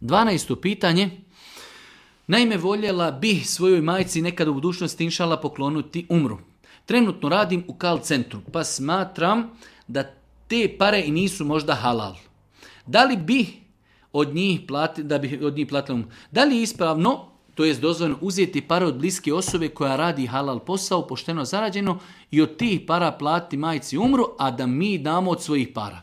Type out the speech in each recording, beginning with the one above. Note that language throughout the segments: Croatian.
12. pitanje. Naime, voljela bi svojoj majci nekad u budućnosti inšala pokloniti umru. Trenutno radim u call centru, pa smatram da te pare i nisu možda halal. Da li bi od njih platila umru? Da li je ispravno, to jest dozvoljeno, uzeti pare od bliske osobe koja radi halal posao, pošteno zarađeno, i od tih para platiti majci umru, a da mi damo od svojih para?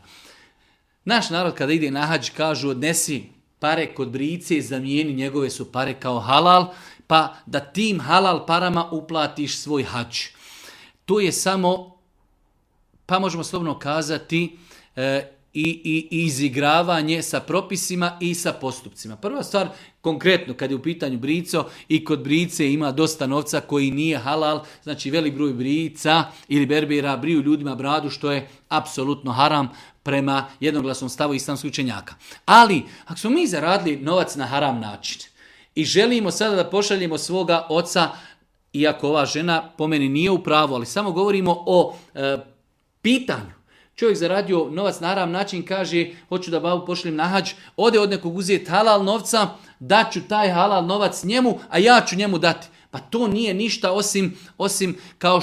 Naš narod kada ide na hadž kažu odnesi pare kod brice, zamijeni, njegove su pare kao halal, pa da tim halal parama uplatiš svoj hadž. To je samo, pa možemo slobodno kazati, i izigravanje sa propisima i sa postupcima. Prva stvar, konkretno, kad je u pitanju brico, i kod brice ima dosta novca koji nije halal, znači velik broj brica ili berbera briju ljudima bradu, što je apsolutno haram prema jednoglasnom stavu islamskih učenjaka. Ali, ako smo mi zaradili novac na haram način i želimo sada da pošaljemo svoga oca, iako ova žena po meni nije u pravu, ali samo govorimo o pitanju. Čovjek zaradio novac na haram način, kaže hoću da babu pošaljem na hadž, ode od nekog uzeti halal novca, daću taj halal novac njemu, a ja ću njemu dati. Pa to nije ništa osim kao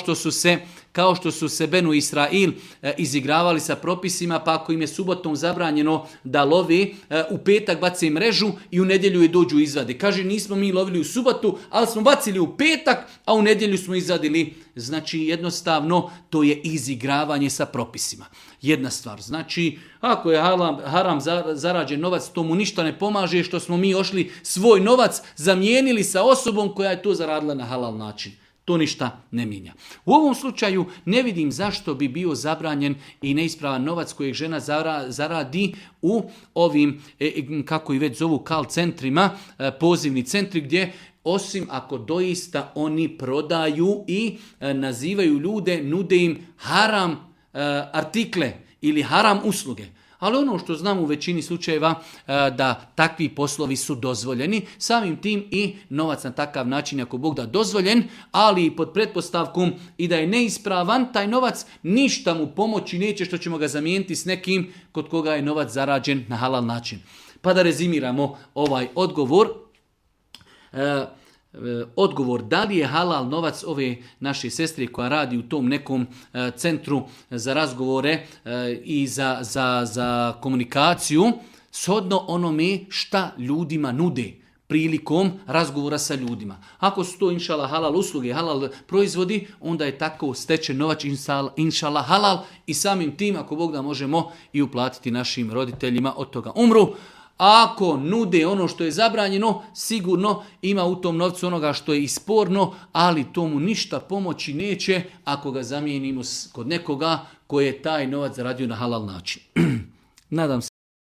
što su se Benu Israil izigravali sa propisima, pa ako im je subotom zabranjeno da lovi, u petak bace mrežu i u nedjelju je dođu izvade. Kaže, nismo mi lovili u subotu, ali smo bacili u petak, a u nedjelju smo izvadili. Znači, jednostavno, to je izigravanje sa propisima. Jedna stvar. Znači, ako je haram zarađen novac, to mu ništa ne pomaže što smo mi ošli svoj novac zamijenili sa osobom koja je to zaradila na halal način. To ništa ne mijenja. U ovom slučaju ne vidim zašto bi bio zabranjen i neispravan novac kojeg žena zaradi u ovim, kako i već zovu, call centrima, pozivni centri, gdje osim ako doista oni prodaju i nazivaju ljude, nude im haram artikle ili haram usluge. Ali ono što znam u većini slučajeva da takvi poslovi su dozvoljeni, samim tim i novac na takav način, ako Bog da, dozvoljen, ali pod pretpostavkom i da je neispravan, taj novac ništa mu pomoći neće što ćemo ga zamijeniti s nekim kod koga je novac zarađen na halal način. Pa da rezimiramo ovaj odgovor. Odgovor, da li je halal novac ove naše sestre koja radi u tom nekom centru za razgovore i za komunikaciju, shodno onome šta ljudima nude prilikom razgovora sa ljudima. Ako su to inšala halal usluge, halal proizvodi, onda je tako stečen novac inšala halal i samim tim, ako Bog da, možemo i uplatiti našim roditeljima od toga umru. Ako nude ono što je zabranjeno, sigurno ima u tom novcu onoga što je isporno, ali to mu ništa pomoći neće ako ga zamijenimo kod nekoga koji je taj novac zaradio na halal način. Nadam se